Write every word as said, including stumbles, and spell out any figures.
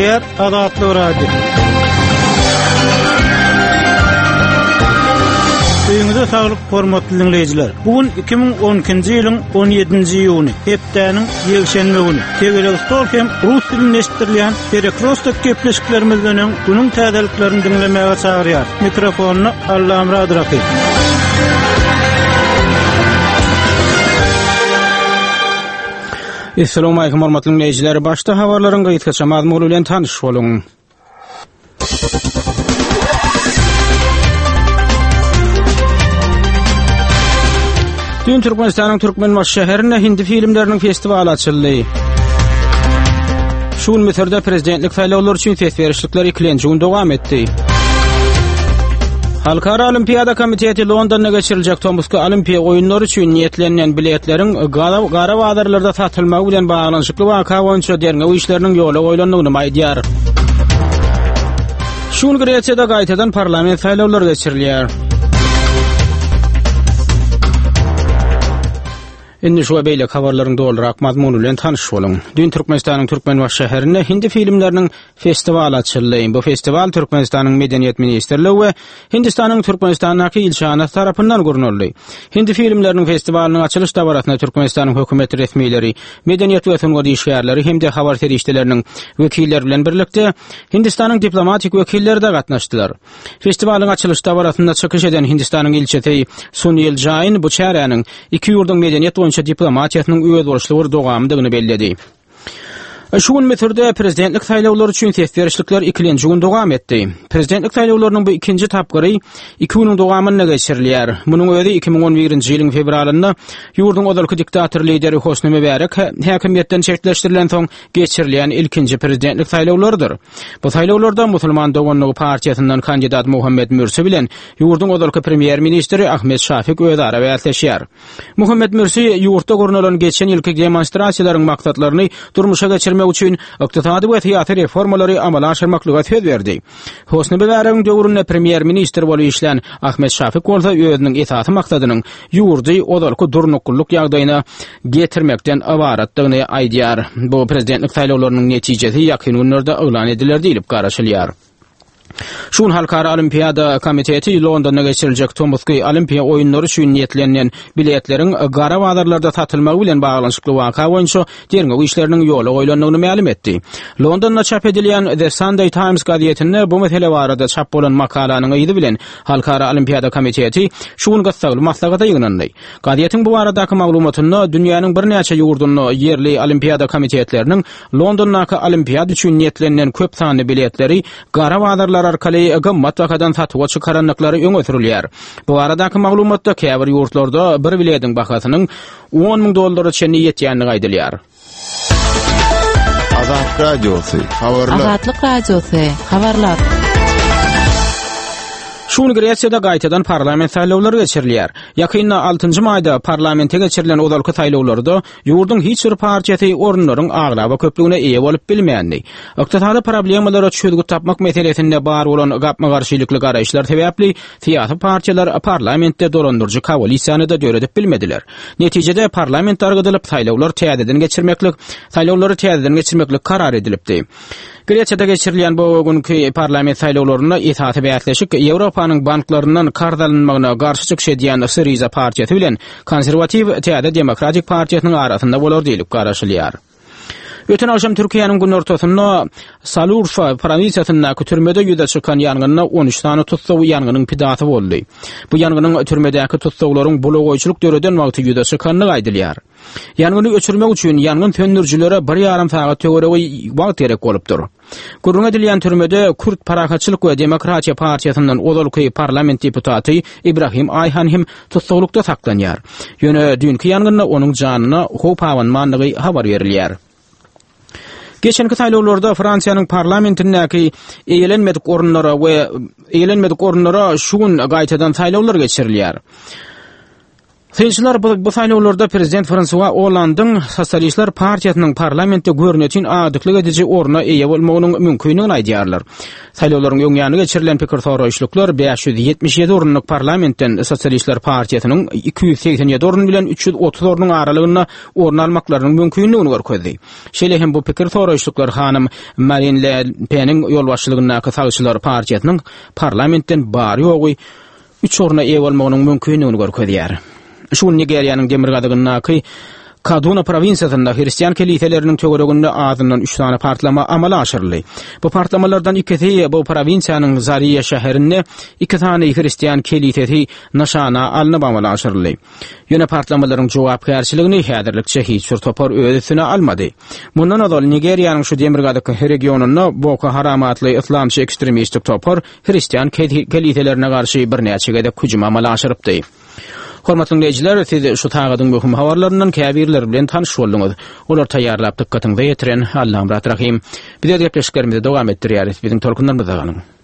Gepleýär Azatlyk Radiosy. Öýüňize saglyk, hormatly diňleýjiler. Bu gün iki müň on ikinji ýylyň on ýedinji iýuny, hepdäniň ýekşenbe güni. Tegelek stol hem rus dilinde eşitdirilýän Perekrostok gepleşiklerimizden öň günüň täzeliklerini diňlemäge çagyrýar. Mikrofonda Allamyrat Rahymow. Assalamu alaykum hormatly dinleýjiler. Başda habarlaryň gysgaça mazmuny bilen tanyş boluň. Dün Türkmenistanyň Türkmenbaşy şäherinde hindi filmleriniň festiwaly açyldy. Şu gün Müsürde prezidentlik saýlawlary üçin ses berişlikler ikilenji gün dowam etdi. Halkara Olimpiada Komiteti Londonda geçiriljek tomusky Olimpiýa oýunlary üçin niýetlenilen biletleriň gara, gara bazarlarda satylmagy bilen baglanyşykly waka boýunça derňew işleriniň ýola goýlandygyny aýdýar. Şu gün Gresiýada gaýtadan parlament saýlawlary geçirilýär. Indi şu beýleki habarlaryň dolurak mazmuny bilen tanyş boluň. Dün Türkmenistanyň Türkmenbaşy şäherinde hindi filmleriniň festiwaly açyldy. Bu festiwal Türkmenistanyň Medeniýet ministrligi we Hindistanyň Türkmenistandaky ilçihanasy tarapyndan gurnaldy. Hindi filmleriniň festiwalynyň açylyş dabarasyna Türkmenistanyň hökümet resmileri, medeniýet we sungat işgärleri hem-de habar serişdeleriniň wekilleri bilen birlikde Hindistanyň diplomatik wekilleri de gatnaşdylar. Festiwalyň açylyş dabarasynda çykyş eden Hindistanyň ilçisi Sunil Jain bu çäräniň iki ýurduň medeniýet boýunça diplomatiýasynyň özboluşly bir dowamydygyny belledi. Şu gün Müsürde prezidentlik saýlawlary üçin ses berişlikler ikilenji gün dowam etdi. Prezidentlik saýlawlarynyň bu ikinji tapgyry iki günüň dowamynda geçirilýär. Munuň özi iki müň on birinji ýylyň fewralynda ýurduň ozalky diktator lideri Hosni Mübarek häkimiýetden çetleşdirilen soň geçirilýän ilkinji prezidentlik saýlawlarydyr. Bu saýlawlarda Musulman doganlygy partiýasyndan kandidat Muhammed Mürsi bilen ýurduň ozalky premýer-ministri Ahmed Şafik özara bäsleşýär. Muhammed Mürsi ýurtda gurnalan geçen ýylky demonstrasiýalaryň maksatlaryny durmuşa geçirmek üçin ykdysady we syýasy reformalary amala aşyrmaklyga söz berdi. Hosni Mübaregiň döwründe premýer-ministr bolup işlän Ahmed Şafik bolsa özüniň esasy maksadynyň ýurdy ozalky durnuklylyk ýagdaýyna getirmekden ybaratdygyny aýdýar. Bu prezidentlik saýlawlarynyň netijesi ýakyn günlerde yglan ediler diýlip garaşylýar. Şu gün Halkara Olimpiada Komiteti Londonda geçiriljek tomusky Olimpiýa oýunlary üçin niýetlenilen biletleriň gara bazarlarda satylmagy bilen baglanyşykly waka boýunça derňew işleriniň ýola goýlandygyny mälim etdi. Londonda çap edilýän The Sunday Times gazetinde bu mesele barada çap bolan makalanyň yzy bilen Halkara Olimpiada Komiteti şu gün gyssagly maslahata ýygnandy. Gazetiň bu baradaky maglumatynda dünýäniň birnäçe ýurdunda ýerli Olimpiada komitetleriniň Londondaky Olimpiada üçin niýetlenilen köp sanly biletleri gara bazarlar arkaly gymmat bahadan satuwa çykarandyklary öňe sürülýär. Bu baradaky maglumatda käbir ýurtlarda bir biletiň bahasynyň on müň dollara çenli ýetýändigi aýdylýar. Azatlyk Radiosy, habarlar. Azatlyk Radiosy, habarlar. Şu gün Gresiýada gaýtadan parlament saýlawlary geçirilýär. Ýakynda altynjy maýda parlamente geçirilen ozalky saýlawlarda ýurduň hiç bir partiýasy orunlaryň aglaba köplügine eýe bolup bilmändi. Ykdysady problemalara çözgüt tapmak meselesinde bar bolan gapma-garşylykly garaýyşlar sebäpli syýasy partiýalar parlamentde dolandyryjy koalisiýany da döredip bilmediler. Netijede parlament dargadylyp saýlawlar täzeden geçirmeklik, saýlawlary täzeden geçirmeklik karar edilipdi. Gresiýada geçirilýän bu günkü parlament saýlawlarynda esasy bäsleşik Ýewropanyň banklaryndan karz alynmagyna garşy çykyş edýän Syriza partiýasy bilen konserwatiw Täze Demokratik partiýasynyň arasynda bolar diýlip garaşylýar. Öten agşam Türkiýäniň günortasynda Salurfa prowinsiyasyndaky türmede ýüze çykan ýangynda on üç sany tussag ýangynyň pidasy boldy. Bu ýangynyň türmedäki tussaglaryň bulagaýçylyk döreden wagty ýüze çykandygy aýdylýar. Ýangyny öçürmek üçin ýangyn söndürijilere bir ýarym sagat töweregi wagt gerek bolupdyr. Gürrüň edilýän türmede Kürt Parahatçylyk we Demokratiýa partiýasyndan ozalky parlament deputaty Ibrahim Aýhan hem tussaglykda saklanýar. Ýöne düýnki ýangynda onuň janyna howp abanmandygy habar berilýär. Geçenki saýlawlarda Fransiýanyň parlamentindäki eýelenmedik orunlara we eýelenmedik orunlara şu gün gaýtadan saýlawlar geçirilýär. Synçylar bu, bu saýlawlarda prezident Fransua Hollandyň Sosialistler partiýasynyň parlamentde görnetin agdyklyk ediji orna eýe bolmagynyň mümkindigini aýdýarlar. Saýlawlaryň öň ýany geçirilen pikir soraýyşlyklar bäş ýüz ýetmiş ýedi orunlyk parlamentden Sosialistler partiýasynyň iki ýüz segsen ýedi orun bilen üç ýüz otuz ornuň aralygynda orun almaklarynyň mümkindigini görkezdi. Şeýle hem bu pikir soraýyşlyklar hanym Marine Le Pen'iň ýolbaşçylygyndaky Sagçylar partiýasynyň parlamentden bary-ýogy üç orna eýe bolmagynyň mümkindigini görkezýär. Şu gün Nigeriýanyň demirgazygyndaky Kaduna prowinsiýasynda hristian keliseleriniň töwereginde azyndan üç sany partlama amala aşyryldy. Bu partlamalardan ikisi bu prowinsiýanyň Zaria şäherinde iki sany hristian kelisesi nyşana alnyp amala aşyryldy. Ýöne partlamalaryň jogapkärçiligini häzirlikçe hiç bir topar öz üstüne almady. Mundan ozal Nigeriýanyň şu demirgazyk regionynda Boko Haram atly yslamçy ekstremistik topar hristian keliselerine garşy birnäçe gezek hüjüm amala aşyrypdy. Hormatly dinleýjiler, siz şu sagadyň möhüm habarlaryndan käbirleri bilen tanyş bolduňyz. Olar taýýarlap dykgatyňyza ýetiren Allamyrat Rahim. Biz öz gepleşiklerimizi dowam etdirýäris. Biziň tolkunlarymyzda galyň.